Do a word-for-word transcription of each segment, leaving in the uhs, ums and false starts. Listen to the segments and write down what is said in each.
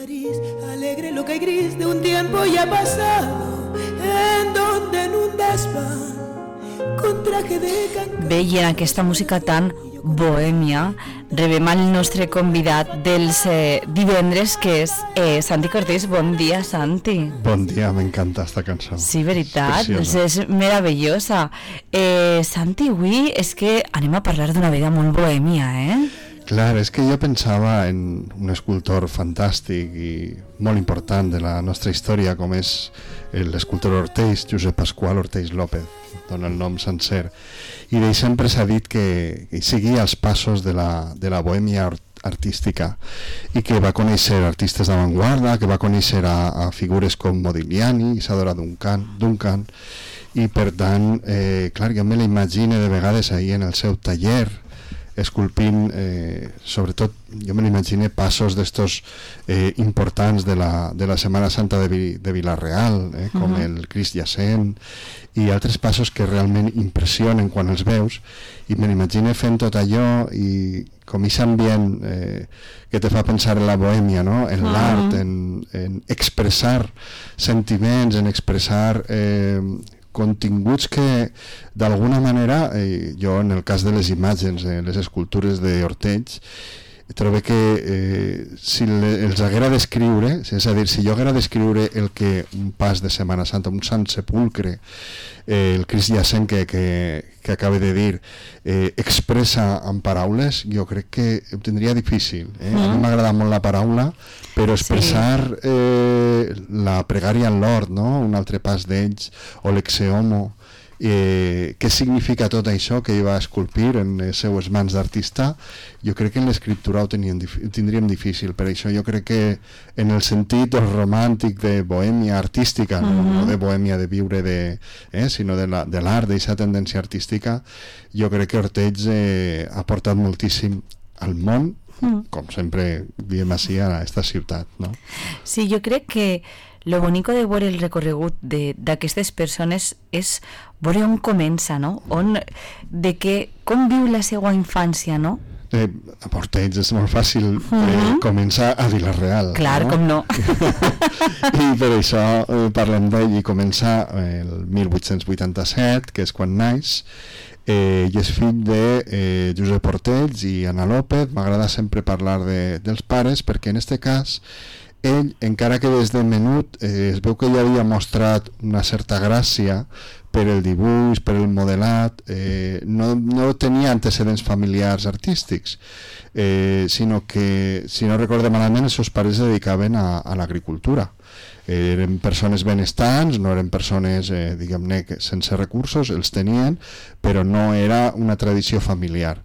París, alegre, loca y gris de un tiempo ya pasado, en donde en un desván con traje de cancán. Bé, i en aquesta música tan bohèmia rebem el nostre convidat dels eh, divendres, que és eh, Santi Cortés. Bon dia, Santi. Bon dia, m'encanta esta cançó. Sí, veritat, és, Preciosa. és meravellosa. Eh, Santi, avui és que anem a parlar d'una vida molt bohèmia, eh? Clar, és que jo pensava en un escultor fantàstic i molt important de la nostra història, com és l'escultor Orteix, Josep Pasqual Orteix López, dona el nom sencer, i d'ell sempre s'ha dit que, que seguia els passos de la, de la bohèmia artística i que va conèixer artistes d'avantguarda, que va conèixer a, a figures com Modigliani, Isadora Duncan, Duncan i per tant, eh, clar, jo me la imagino de vegades ahir en el seu taller esculpint, eh, sobretot jo me l'imagine passos d'estos eh, importants de la, de la Setmana Santa de, Vi, de Vila-real, eh, com uh-huh. el Crist Jacent i altres passos que realment impressionen quan els veus, i me l'imagine fent tot allò i com aquest ambient eh, que te fa pensar en la bohèmia, no? En uh-huh. l'art, en, en expressar sentiments, en expressar eh, continguts que d'alguna manera, eh, jo en el cas de les imatges, eh, les escultures d'Orteix, trobo que eh, si le, els haguera d'escriure, és a dir, si jo haguera d'escriure el que un pas de Setmana Santa, un Sant Sepulcre, eh, el Crist Jacent que, que, que acaba de dir, eh, expressa en paraules, jo crec que ho tindria difícil. Eh? Mm. A mi m'agrada molt la paraula, però expressar sí. eh, la pregària en l'hort, no? Un altre pas d'ells, o l'exeomo, eh, què significa tot això que ell va esculpir en les seues mans d'artista, jo crec que en l'escriptura ho, tenien, ho tindríem difícil. Per això jo crec que en el sentit romàntic de bohèmia artística, mm-hmm. no, no de bohèmia de viure de, eh, sinó de l'art, de d'aquesta tendència artística, jo crec que Orteix eh, ha portat moltíssim al món, mm. com sempre diem així a aquesta ciutat, no? Sí, jo crec que lo bonico de veure el recorregut d'aquestes persones és veure on comença, no? On, de que, com viu la seva infància, no? Eh, a Orteix és molt fàcil eh, uh-huh. començar a Vila-real. Clar, no? Com no. I per això eh, parlem d'ell, i comença el mil vuit-cents vuitanta-set, que és quan naix, eh, i és fill de eh, Josep Orteix i Ana López. M'agrada sempre parlar de, dels pares, perquè en este cas ell, encara que des de menut eh, es veu que ell havia mostrat una certa gràcia per el dibuix, per el modelat, eh, no, no tenia antecedents familiars artístics, eh, sinó que, si no recorde malament, els seus pares es dedicaven a, a l'agricultura. Eh, eren persones benestants, no eren persones, eh, diguem-ne, sense recursos, els tenien, però no era una tradició familiar.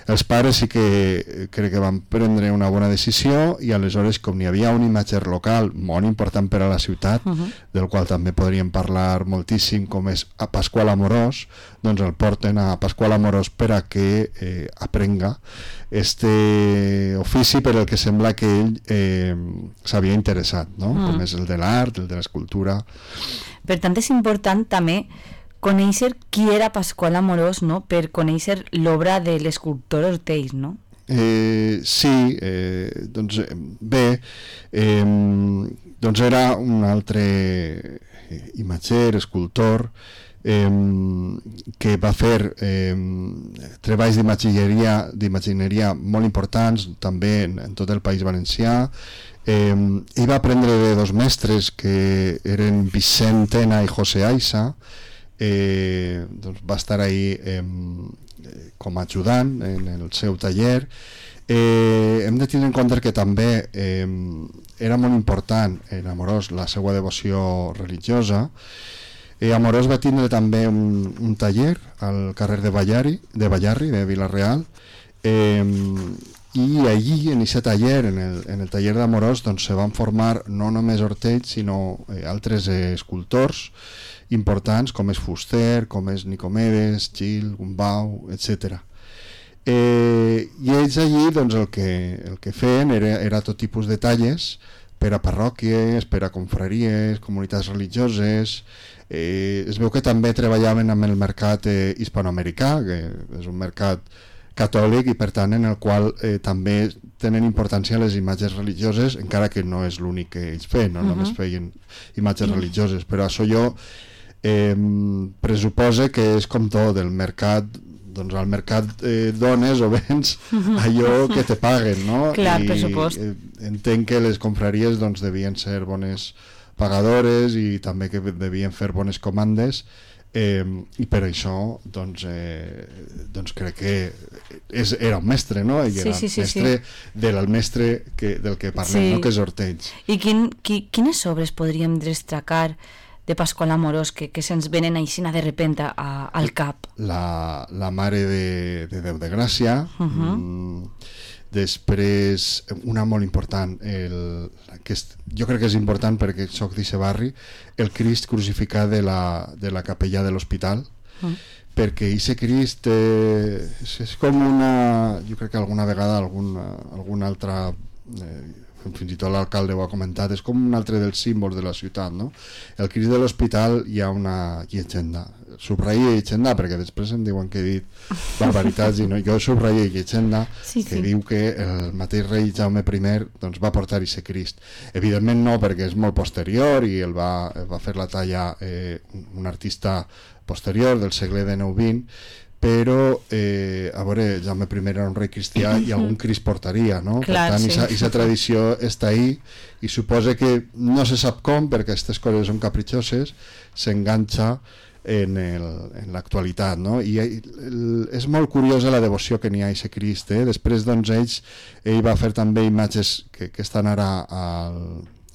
Els pares sí que crec que van prendre una bona decisió, i aleshores, com n'hi havia un imatger local molt important per a la ciutat, uh-huh. del qual també podríem parlar moltíssim, com és a Pasqual Amorós, doncs el porten a Pasqual Amorós per a que eh, aprenga este ofici per el que sembla que ell eh, s'havia interessat, no? Uh-huh. Com és el de l'art, el de l'escultura. Per tant, és important també conèixer qui era Pasqual Amorós, no? Per conèixer l'obra de l'escultor Orteix, no? Eh, sí, eh, doncs bé, eh, doncs era un altre imatger, escultor, eh, que va fer eh, treballs d'imagineria d'imagineria molt importants també en, en tot el País Valencià. Eh, ell va aprendre de dos mestres que eren Vicent Tena i José Aiza. Eh, doncs va estar ahí eh, com a ajudant en el seu taller. Eh, hem de tenir en compte que també eh, era molt important en Amorós la seva devoció religiosa. Eh, Amorós va tindre també un, un taller al carrer de Ballarri, de Ballarri, de Vila-real, eh, i allí, en aquest taller, en el, en el taller d'Amorós, doncs, se van formar no només Orteix, sinó eh, altres eh, escultors importants, com és Fuster, com és Nicomedes, Gil, Gumbau, etcètera. Eh, I ells allí, doncs, el que, el que feien era, era tot tipus de talles per a parròquies, per a confraries, comunitats religioses. Eh, es veu que també treballaven amb el mercat eh, hispanoamericà, que és un mercat catòlic i per tant en el qual eh, també tenen importància les imatges religioses, encara que no és l'únic que ells feien, no? Uh-huh. Només feien imatges uh-huh. religioses, però això jo eh, pressuposa que és com tot, el mercat, doncs al mercat eh, dones o vens allò que te paguen, no? Clar, I, per supost. Eh, entenc que les confraries doncs devien ser bones pagadores i també que devien fer bones comandes. Eh, i per això doncs, eh, doncs crec que és, era un mestre, no? I era sí, sí, sí, mestre sí. del mestre que, del que parlem, sí. no? Que és Ortells. I quin, qui, quines obres podríem destacar de Pasqual Amorós que, que se'ns venen aixina de repente a, al cap? La, la Mare de, de Déu de Gràcia, uh-huh. mm, després una molt important, el, que és, jo crec que és important perquè soc d'aquest barri, el Crist crucificat de la, de la capella de l'hospital, mm. perquè aquest Crist eh, és, és com una, jo crec que alguna vegada alguna, alguna altra eh, fins i tot l'alcalde ho ha comentat, és com un altre dels símbols de la ciutat, no? El Crist de l'hospital hi ha una llegenda, subratlla llegenda perquè després em diuen que he dit barbaritats i no, jo subratlla llegenda sí, que sí. diu que el mateix rei Jaume I doncs, va portar aquest Crist, evidentment no perquè és molt posterior i el va, el va fer la talla eh, un artista posterior del segle dinou vint, però eh, a veure, Jaume I era un rei cristià i algun Crist portaria, no? Clar, per tant, sí. aquesta tradició està ahí i suposa que no se sap com, perquè aquestes coses són capritxoses, s'enganxa en, el, en l'actualitat, no? I el, és molt curiosa la devoció que n'hi ha a aquest Crist, eh? Després, doncs, ells, ell va fer també imatges que, que estan ara al,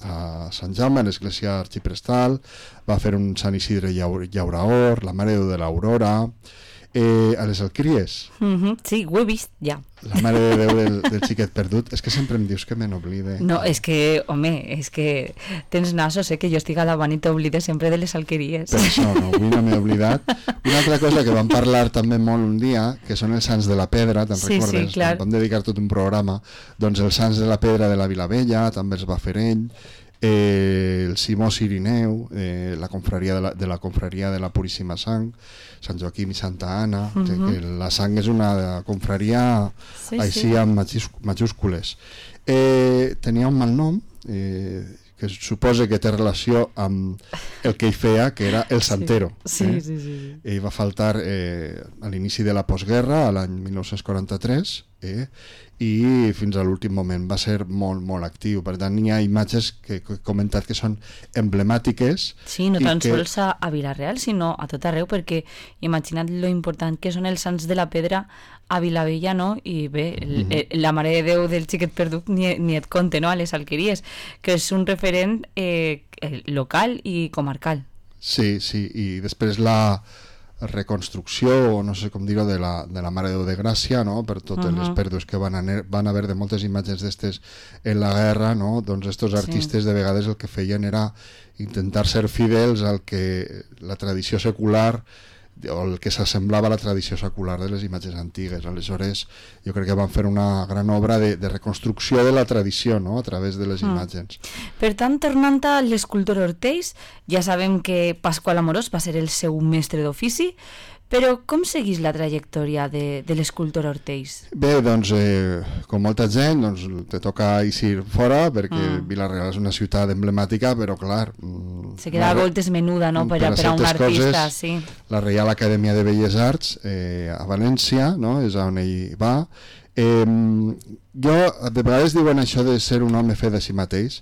a Sant Jaume, a l'església arxiprestal, va fer un Sant Isidre Llauraor, la Mare de Déu de l'Aurora, eh, a les Alqueries. Mm-hmm. Sí, ho he vist, ja. La Mare de Déu del, del xiquet perdut. És que sempre em dius que me n'oblide. No, és que, home, és que tens nassos, eh, que jo estic a davant i t'oblides sempre de les Alqueries. Per això, no, avui no m'he oblidat. Una altra cosa que vam parlar també molt un dia, que són els Sants de la Pedra, te'n sí, recordes? Sí, clar. Vam dedicar tot un programa. Doncs els Sants de la Pedra de la Vilavella, també els va fer ell, eh, el Simó Cirineu, eh, la confraria de la, de la confraria de la Puríssima Sang, Sant Joaquim i Santa Anna, uh-huh. que la sang és una confraria sí, així sí. amb majúscules. Eh, tenia un mal nom, eh, que suposa que té relació amb el que ell feia, que era el Santero. Sí, eh? sí, sí, sí. Ell va faltar eh, a l'inici de la postguerra, a l'any dinou quaranta-tres, eh? i fins a l'últim moment va ser molt, molt actiu. Per tant, hi ha imatges que he comentat que són emblemàtiques. Sí, no tan que... sols a, a Vila-real, sinó a tot arreu, perquè imagina't lo important que són els Sants de la Pedra a Vilavella, no? I bé, el, mm-hmm. el, la Mare de Déu del xiquet perdut ni, ni et compte, no? A les Alqueries, que és un referent eh, local i comarcal. Sí, sí, i després la reconstrucció, o no sé com dir-ho, de la, de la Mare de Déu de Gràcia, no? Per totes uh-huh. les pèrdues que van, a, van haver de moltes imatges d'estes en la guerra, no? Doncs estos artistes sí. de vegades el que feien era intentar ser fidels al que la tradició secular o el que s'assemblava a la tradició secular de les imatges antigues. Aleshores jo crec que van fer una gran obra de, de reconstrucció de la tradició, no? A través de les mm. imatges. Per tant, tornant a l'escultor Ortells, ja sabem que Pasqual Amorós va ser el seu mestre d'ofici, però com seguís la trajectòria de, de l'escultor Ortells? Bé, doncs, eh, com molta gent, doncs, te toca eixir fora, perquè mm. Vila-real és una ciutat emblemàtica, però clar... Se queda a voltes menuda, no?, per, per, per a un artista, coses, sí. La Reial Acadèmia de Belles Arts, eh, a València, no?, és on ell va. Eh, jo, de vegades diuen això de ser un home fet de si mateix.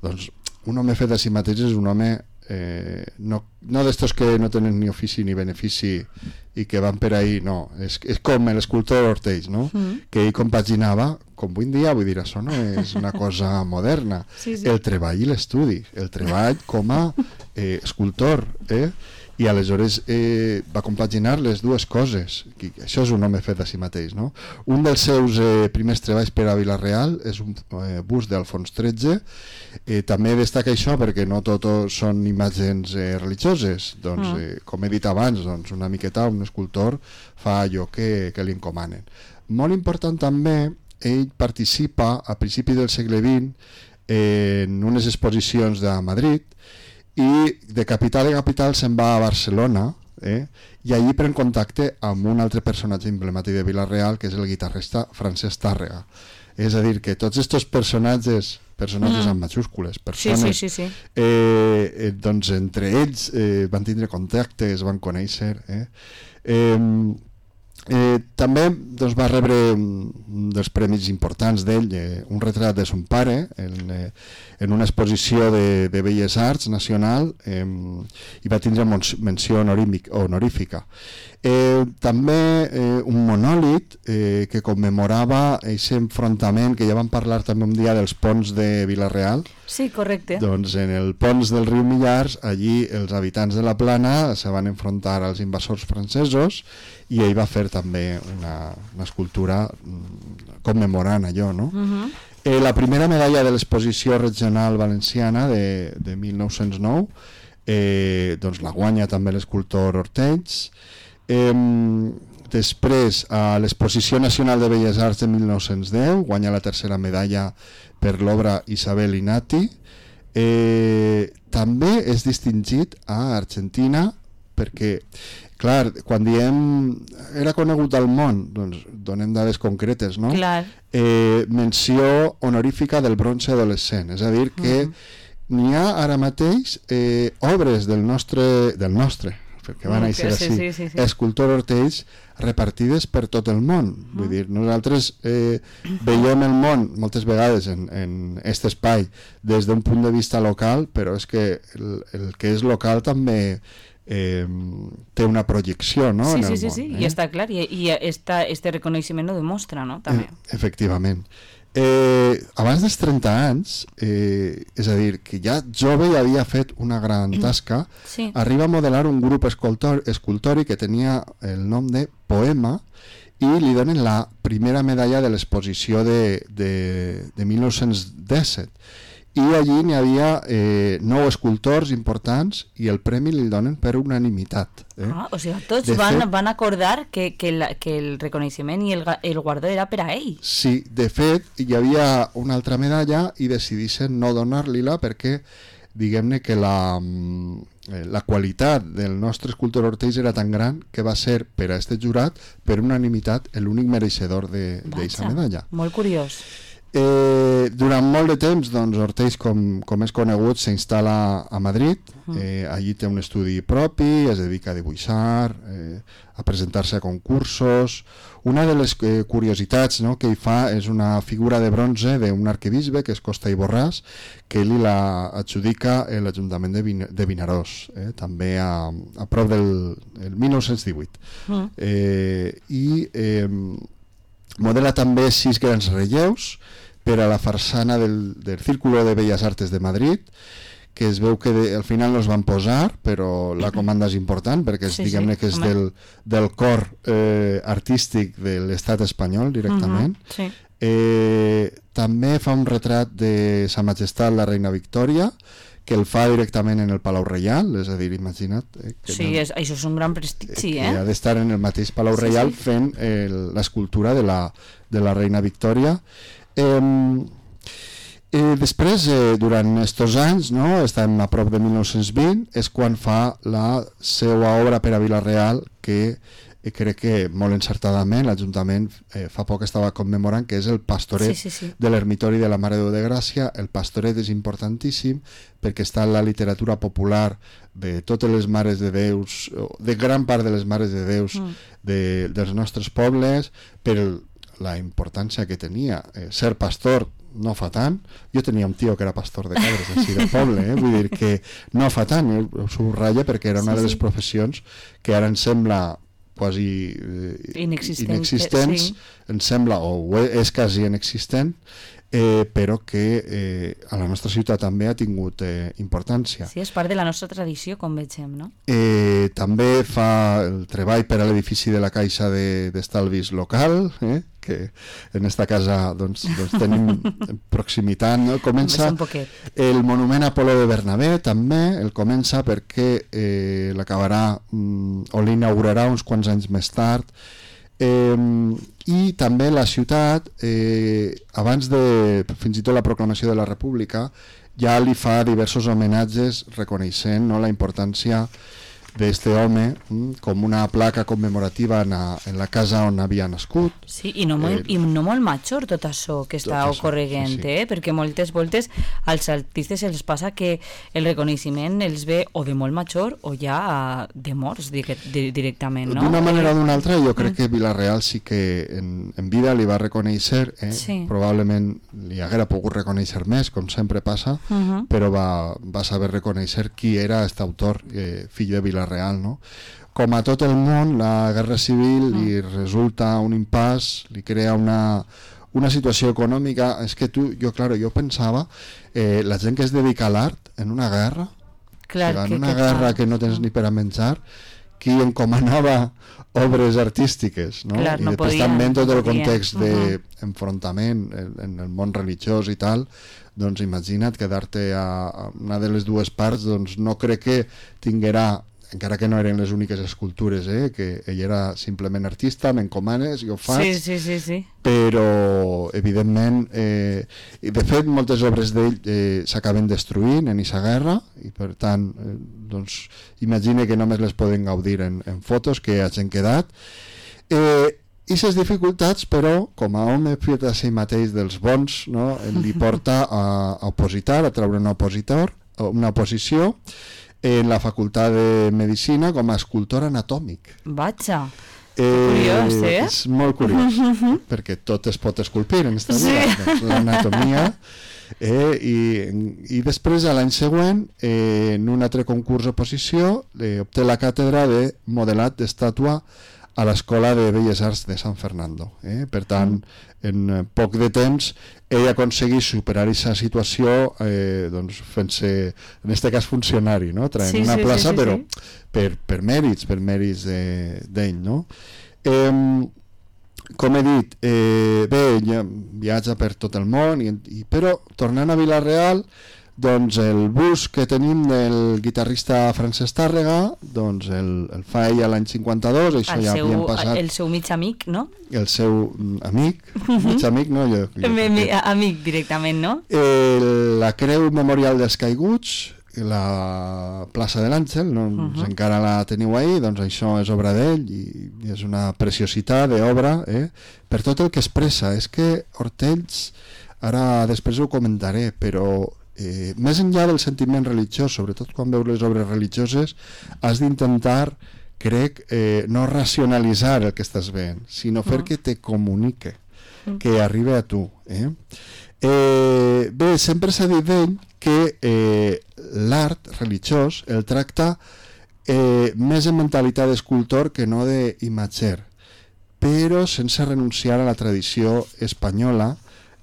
Doncs un home fet de si mateix és un home... Eh, no, no d'estos que no tenen ni ofici ni benefici i que van per ahí, no, és, és com l'escultor Ortells, no? Mm. Que ell compaginava, com avui en dia, vull dir, això no és una cosa moderna, sí, sí. el treball i l'estudi, el treball com a eh, escultor, eh? I aleshores eh, va compaginar les dues coses. I això és un home fet a si mateix, no? Un dels seus eh, primers treballs per a Vila-real és un eh, bust d'Alfons tretze. Eh, també destaca això perquè no tot són imatges eh, religioses. Doncs, mm. eh, com he dit abans, doncs, una miqueta un escultor fa allò que, que li encomanen. Molt important també, ell participa a principi del segle vint eh, en unes exposicions de Madrid, i de capital en capital se'n va a Barcelona, eh? I allí pren contacte amb un altre personatge emblemàtic de Vila-real, que és el guitarrista Francesc Tàrrega. És a dir, que tots aquests personatges, personatges mm. amb majúscules, persones, sí, sí, sí, sí. Eh, eh, doncs entre ells eh, van tindre contacte, es van conèixer. Eh? Eh, eh, també doncs, va rebre un dels premis importants d'ell, eh, un retrat de son pare, en, eh, en una exposició de, de Belles Arts nacional, eh, i va tindre menció honorífica. Eh, també eh, un monòlit eh, que commemorava aquest enfrontament que ja vam parlar també un dia dels ponts de Vila-real. Sí, correcte. Doncs en el pont del riu Millars, allí els habitants de la plana se van enfrontar als invasors francesos i ell va fer també una, una escultura commemorant allò, no? Uh-huh. eh, la primera medalla de l'exposició regional valenciana de, de mil nou-cents nou eh, doncs la guanya també l'escultor Ortells. Eh, després a l'exposició nacional de Belles Arts de mil nou-cents deu guanya la tercera medalla per l'obra Isabel Inati. Eh, també és distingit a Argentina perquè, clar, quan diem era conegut al món, doncs donem dades concretes, no? Clar. Eh, menció honorífica del bronze adolescent, és a dir que uh-huh. n'hi ha ara mateix eh, obres del nostre, del nostre perquè van néixer sí, així, sí, sí, sí. escultor Ortells, repartides per tot el món. Uh-huh. Vull dir, nosaltres eh, veiem el món moltes vegades en, en aquest espai des d'un punt de vista local, però és que el, el que és local també eh, té una projecció, no? Sí, en el sí, sí, món, sí, eh? i està clar, i, i esta, este reconeixement ho demostra, no? També. Eh, efectivament. Eh, abans dels trenta anys, eh, és a dir, que ja jove ja havia fet una gran tasca, sí. arriba a modelar un grup escultor, escultòric que tenia el nom de Poema i li donen la primera medalla de l'exposició de, de, de mil nou-cents disset. I allí n'hi havia eh, nou escultors importants i el premi li donen per unanimitat. Eh? Ah, o sigui, tots de van, fet, van acordar que, que, la, que el reconeixement i el, el guardó era per a ell. Sí, de fet, hi havia una altra medalla i decidissin no donar-li-la perquè, diguem-ne que la, la qualitat del nostre escultor Ortells era tan gran que va ser per a este jurat, per unanimitat, l'únic mereixedor d'aquesta medalla. Molt curiós. Eh, durant molt de temps, doncs, Ortells, com, com és conegut, s'instal·la a Madrid. Eh, allí té un estudi propi, es dedica a dibuixar, eh, a presentar-se a concursos. Una de les eh, curiositats, no, que hi fa és una figura de bronze d'un arquebisbe, que és Costa i Borràs, que ell la adjudica l'Ajuntament de, Vin de Vinaròs, eh, també a, a prop del el mil nou-cents divuit. Mm. Eh, I eh, modela també sis grans relleus per a la farsana del, del Círculo de Bellas Artes de Madrid, que es veu que de, al final no es van posar, però la comanda és important perquè és, sí, diguem-ne que és del, del cor eh, artístic de l'estat espanyol directament. Uh-huh, sí. eh, també fa un retrat de Sa Majestat la Reina Victòria, que el fa directament en el Palau Reial, és a dir, imagina't... Eh, que sí, no, és, això és un gran prestigi, eh? eh? Que ha d'estar en el mateix Palau sí, Reial sí. fent eh, l'escultura de, la, de la Reina Victòria. Eh, eh, després, eh, durant aquests anys, no, estem a prop de mil nou-cents vint, és quan fa la seva obra per a Vila-real, que eh, crec que molt encertadament l'Ajuntament eh, fa poc estava commemorant, que és el pastoret sí, sí, sí. de l'Ermitori de la Mare de Déu de Gràcia. El pastoret és importantíssim perquè està en la literatura popular de totes les mares de Déus, de gran part de les mares de Déus mm. de, dels nostres pobles, per la importància que tenia. Eh, ser pastor no fa tant. Jo tenia un tio que era pastor de cabres així del poble, eh? Vull dir que no fa tant, eh? Ho subratlla perquè era una sí, de les sí. professions que ara ens sembla quasi eh, Inexistent, inexistents, sí. ens sembla, o és quasi inexistent, eh, però que eh, a la nostra ciutat també ha tingut eh, importància. Sí, és part de la nostra tradició, com vegem, no? Eh, també fa el treball per a l'edifici de la Caixa d'Estalvis de, local, eh, que en esta casa doncs, doncs tenim proximitat, no? Comença el monument a Apol·lo de Bernabé, també el comença perquè eh, l'acabarà mm, o l'inaugurarà uns quants anys més tard. Eh, i també la ciutat eh, abans de fins i tot la proclamació de la República ja li fa diversos homenatges reconeixent, no, la importància d'este home, mm, com una placa commemorativa en, a, en la casa on havia nascut. Sí, i no molt, eh, i no molt major tot això que està ocorregent, sí, sí. Eh? Perquè moltes voltes als artistes els passa que el reconeixement els ve o de molt major o ja de morts directament, no? D'una manera o d'una altra, jo crec mm. que Vila-real sí que en, en vida li va reconèixer, eh? Sí. Probablement li haguera pogut reconèixer més, com sempre passa, uh-huh. però va, va saber reconèixer qui era aquest autor, eh, fill de Vila-real, no? Com a tot el món, la guerra civil uh-huh. li resulta un impàs, li crea una, una situació econòmica. És que tu, jo, claro, jo pensava, eh, la gent que es dedica a l'art en una guerra, clar, o sigui, en que, una que guerra tal? que no tens ni per a menjar, qui encomanava obres artístiques, no? Clar, no i després podia, també en tot no el podia. context d'enfrontament uh-huh. en, en el món religiós i tal, doncs imagina't quedar-te a, a una de les dues parts, doncs no crec que tinguera, encara que no eren les úniques escultures, eh, que ell era simplement artista, m'encomanes i ho faig, sí, sí, sí, sí. però evidentment eh, i de fet moltes obres d'ell eh, s'acaben destruint en aquesta guerra i per tant eh, doncs imagine que només les poden gaudir en, en fotos que hagin quedat. eh, i les dificultats, però, com a home fet a si mateix dels bons, no, li porta a, a opositar, a treure un opositor, una oposició en la facultat de Medicina com a escultor anatòmic. Vaja, eh, curiós, eh? És molt curiós, perquè tot es pot esculpir en aquesta vida, sí. Doncs, l'anatomia. Eh, i, I després, a l'any següent, eh, en un altre concurs d'oposició, eh, obté la càtedra de modelat d'estàtua a l'Escola de Belles Arts de San Fernando. Eh? Per tant, en poc de temps, ell aconsegueix superar aquesta situació eh, doncs, fent-se, en aquest cas, funcionari, no? Traient sí, una sí, plaça, sí, sí, però sí. Per, per mèrits, per mèrits d'ell. No? Eh, com he dit, eh, bé, ell viatja per tot el món, i, i, però tornant a Vila-real, doncs el bus que tenim del guitarrista Francesc Tàrrega, doncs el, el fa ell a l'any cinquanta-dos, això el ja seu, havien passat... El seu mig amic, no? El seu amic, mig amic, no? Jo, jo, mi, mi, amic directament, no? El, la Creu Memorial dels Caiguts, la plaça de l'Àngel, no? Uh-huh. Encara la teniu ahí, doncs això és obra d'ell i, i és una preciositat d'obra, eh? Per tot el que expressa. És que Hortells, ara després ho comentaré, però Eh, més enllà del sentiment religiós, sobretot quan veus les obres religioses, has d'intentar, crec, eh, no racionalitzar el que estàs veient, sinó fer uh-huh. que te comunique, uh-huh. que arribi a tu. Eh? Eh, bé, sempre s'ha dit d'ell que eh, l'art religiós el tracta eh, més en mentalitat d'escultor que no d'imatger, però sense renunciar a la tradició espanyola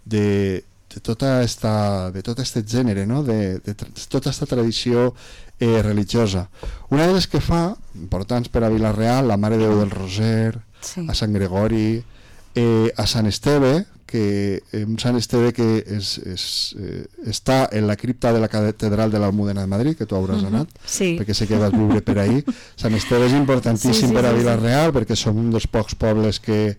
de de tota esta, de tot aquest gènere, no? de, de, de tota aquesta tradició eh, religiosa. Una de les que fa, importants per a Vila-real, la Mare de Déu del Roser, sí. a Sant Gregori, eh, a Sant Esteve, que eh, un Sant Esteve que és, és, eh, està en la cripta de la catedral de l'Almudena de Madrid, que tu hauràs uh-huh. anat, sí. perquè sé que vas viure per ahí. Sant Esteve és importantíssim sí, sí, per a Vila-real, sí. perquè som un dels pocs pobles que,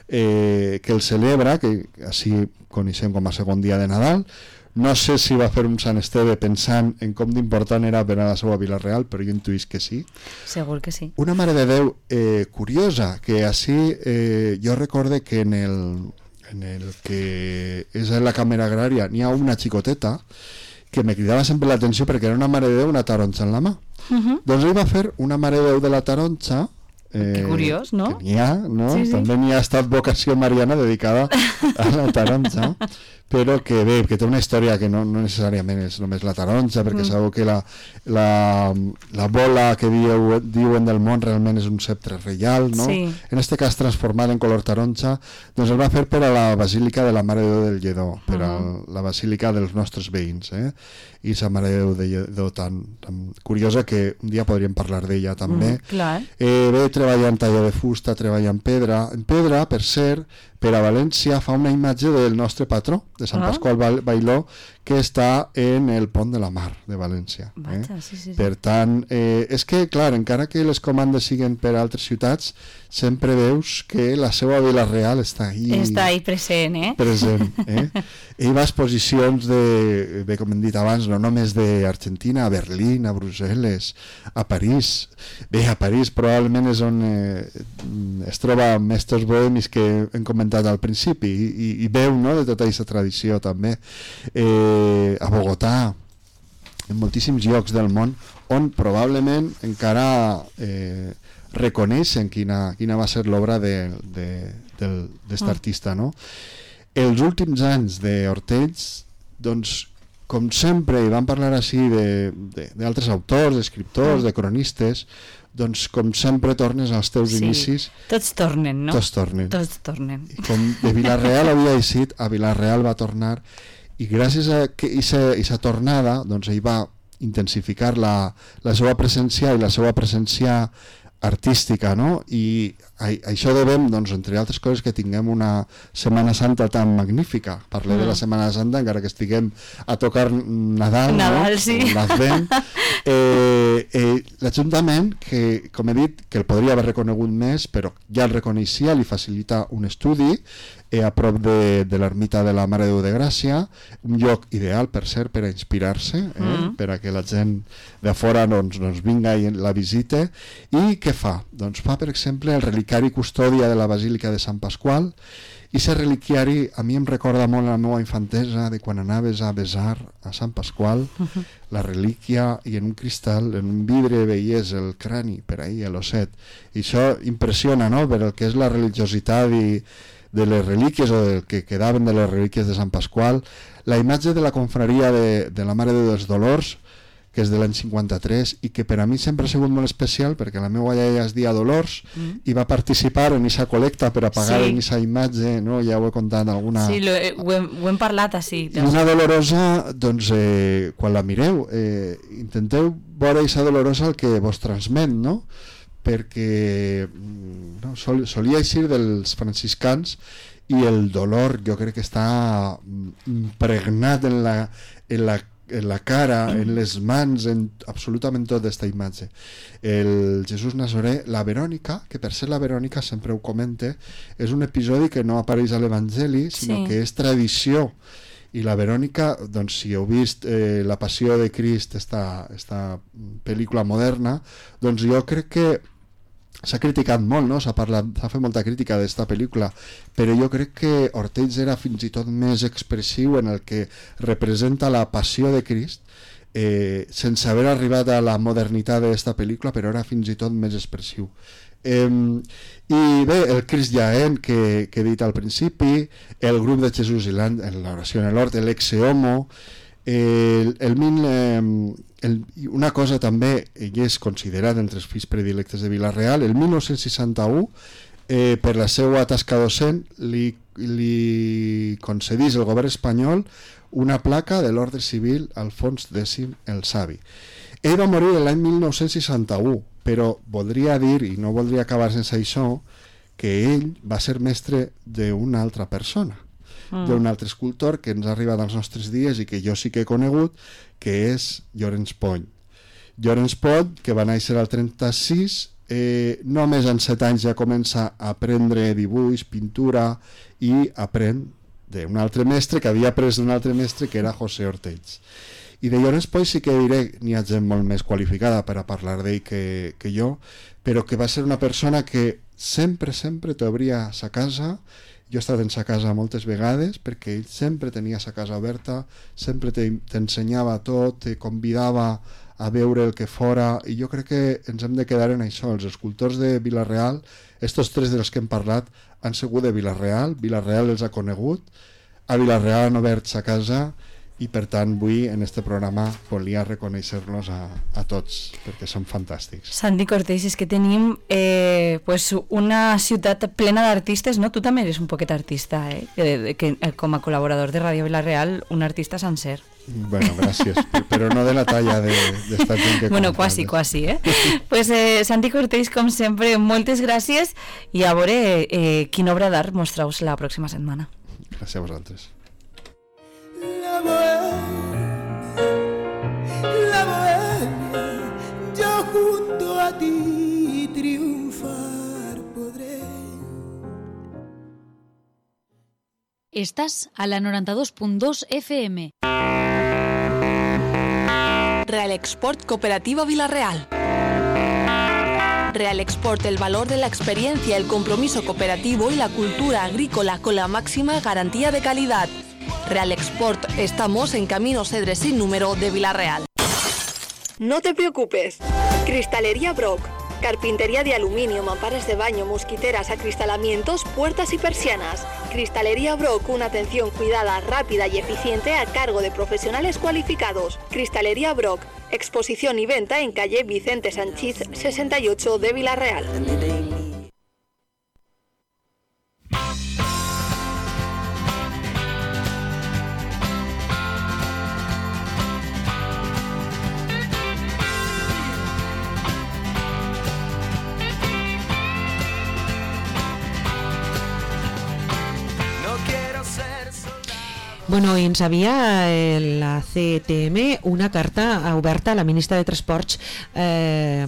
eh, que el celebra, que així coneixem com a segon dia de Nadal. No sé si va fer un Sant Esteve pensant en com d'important era per a la seva Vila-real, però jo intuïs que sí. Segur que sí. Una Mare de Déu eh, curiosa, que així eh, jo recorde que en el, en el que és en la càmera agrària n'hi ha una xicoteta que me cridava sempre l'atenció perquè era una Mare de Déu, una taronja en la mà. Uh-huh. Doncs ell va fer una Mare de Déu de la taronja. Eh, que curiós, no? Que n'hi ha, no? Sí, sí. També n'hi ha estat vocació mariana dedicada a la taronja, però que bé, que té una història que no, no necessàriament és només la taronja, perquè mm. sabeu que la, la, la bola que diu, diuen del món realment és un sceptre reial, no? Sí. En aquest cas transformat en color taronja, doncs el va fer per a la Basílica de la Mare de Déu del Lledó, per a la Basílica dels nostres veïns, eh? I sa Mare de Déu de Lledó tan, tan curiosa que un dia podríem parlar d'ella també. Mm, clar. Eh, bé, treballa en talla de fusta, treballa en pedra, en pedra, per cert, per a València fa una imatge del nostre patró, de Sant Ah. Pasqual Ba- Bailó, que està en el Pont de la Mar de València. Eh? Vaja, sí, sí, sí. Per tant, eh, és que, clar, encara que les comandes siguen per altres ciutats, sempre veus que la seva Vila-real està ahí, Està ahí present, eh? present. Eh? Ell va a exposicions de, bé, com hem dit abans, no només d'Argentina, a Berlín, a Brussel·les, a París. Bé, a París probablement és on eh, es troba mestres bohemis que hem comentat al principi i, i, i veu, no?, de tota aquesta tradició també. Eh, a Bogotà, en moltíssims llocs del món on probablement encara eh, reconeixen quina, quina va ser l'obra de, de, del- d'est Mm. artista, no? Els últims anys d'Ortells, doncs, com sempre, i vam parlar així de- de- d'altres autors, d'escriptors, Mm. de cronistes, doncs, com sempre, tornes als teus Sí. inicis, Tots tornen, no? tots tornen. Tots tornen. I com de Vila-real havia eixit, a Vila-real va tornar, i gràcies a aquesta tornada, doncs ell va intensificar la, la seva presència i la seva presència artística, no? I a, a això devem, doncs, entre altres coses, que tinguem una Setmana Santa tan magnífica. Parlem mm. de la Setmana Santa, encara que estiguem a tocar Nadal, Nadal, no? sí. L'Advent. Eh, eh, L'Ajuntament, que, com he dit, que el podria haver reconegut més, però ja el reconeixia, li facilita un estudi eh, a prop de, de l'ermita de la Mare de Déu de Gràcia, un lloc ideal, per cert, per a inspirar-se, eh? Mm. per a que la gent de fora doncs, doncs vinga i la visite. I què fa? Doncs fa, per exemple, el relicari custòdia de la Basílica de Sant Pasqual, i aquest reliquiari a mi em recorda molt la meva infantesa de quan anaves a besar a Sant Pasqual Uh-huh. la relíquia, i en un cristal, en un vidre veies el crani per ahí, l'osset, i això impressiona, no?, per el que és la religiositat i de les relíquies, o del que quedaven de les relíquies de Sant Pasqual. La imatge de la confraria de, de la Mare de Déu dels Dolors, que és de l'any cinquanta-tres, i que per a mi sempre ha sigut molt especial, perquè la meva iaia es dia Dolors Mm. i va participar en aquesta col·lecta per a pagar Sí. en aquesta imatge, no? Ja ho he contat alguna... Sí, lo, eh, ho, hem, ho hem parlat així. I una dolorosa, doncs, eh, quan la mireu, eh, intenteu veure aquesta dolorosa el que vos transmet, no? Perquè mm, no, sol, solia eixir dels franciscans, i el dolor jo crec que està mm, impregnat en la, en la en la cara, en les mans, en absolutament tota aquesta imatge. El Jesús Nazaré, la Verònica, que per ser la Verònica, sempre ho comente, és un episodi que no apareix a l'Evangeli, sinó Sí. que és tradició. I la Verònica, doncs, si heu vist eh, La Passió de Crist, esta, esta pel·lícula moderna, doncs jo crec que s'ha criticat molt, no? S'ha parlat, s'ha fet molta crítica d'esta pel·lícula, però jo crec que Ortells era fins i tot més expressiu en el que representa la passió de Crist, eh, sense haver arribat a la modernitat d'esta pel·lícula, però era fins i tot més expressiu. Eh, I bé, el Crist Jaén, que, que he dit al principi, el grup de Jesús i l'oració en l'hort, l'ex homo, el, el mil... Eh, El, una cosa també, ell és considerat entre els fills predilectes de Vila-real. El mil nou-cents seixanta-u, eh, per la seva tasca docent, li, li concedís el govern espanyol una placa de l'ordre civil Alfons X el Savi. Ell va morir l'any mil nou-cents seixanta-u, però voldria dir, i no voldria acabar sense això, que ell va ser mestre d'una altra persona, mm. d'un altre escultor que ens ha arribat als nostres dies i que jo sí que he conegut, que és Llorenç Pont. Llorenç Pont, que va néixer al trenta-sis, eh, només en set anys ja comença a aprendre dibuix, pintura, i aprèn d'un altre mestre que havia après d'un altre mestre, que era José Ortells. I de Llorenç Pont sí que diré, n'hi ha gent molt més qualificada per a parlar d'ell que, que jo, però que va ser una persona que sempre, sempre t'obria sa casa. Jo he estat en sa casa moltes vegades, perquè ell sempre tenia sa casa oberta, sempre t'ensenyava tot, te convidava a veure el que fora, i jo crec que ens hem de quedar en això. Els escultors de Vila-real, estos tres dels que hem parlat, han sigut de Vila-real, Vila-real els ha conegut, a Vila-real han obert sa casa, i per tant avui en este programa volia reconèixer-los a, a tots, perquè són fantàstics. Santi Cortés, és que tenim eh, pues una ciutat plena d'artistes, no? Tu també eres un poquet artista, eh? Que, que, com a col·laborador de Ràdio Vila-real, un artista sencer. Bueno, gràcies, però no de la talla d'esta gent que... Bueno, quasi, quasi, eh? Pues eh, Santi Cortés, com sempre, moltes gràcies i a veure eh, quina obra d'art mostreu la pròxima setmana. Gràcies a vosaltres. La bohemia, la bohemia, yo junto a ti triunfar podré. Estás a la noranta-dos punt dos F M. Real Export Cooperativa Vila-real. Real Export, el valor de la experiencia, el compromiso cooperativo y la cultura agrícola con la máxima garantía de calidad. Real Export, estamos en Camino Cedres sin número de Vila-real. No te preocupes. Cristalería Brock. Carpintería de aluminio, mamparas de baño, mosquiteras, acristalamientos, puertas y persianas. Cristalería Brock, una atención cuidada, rápida y eficiente a cargo de profesionales cualificados. Cristalería Brock, exposición y venta en calle Vicente Sanchís sesenta y ocho de Vila-real. Bueno, ens havia eh, la C T M una carta oberta a la ministra de Transports eh,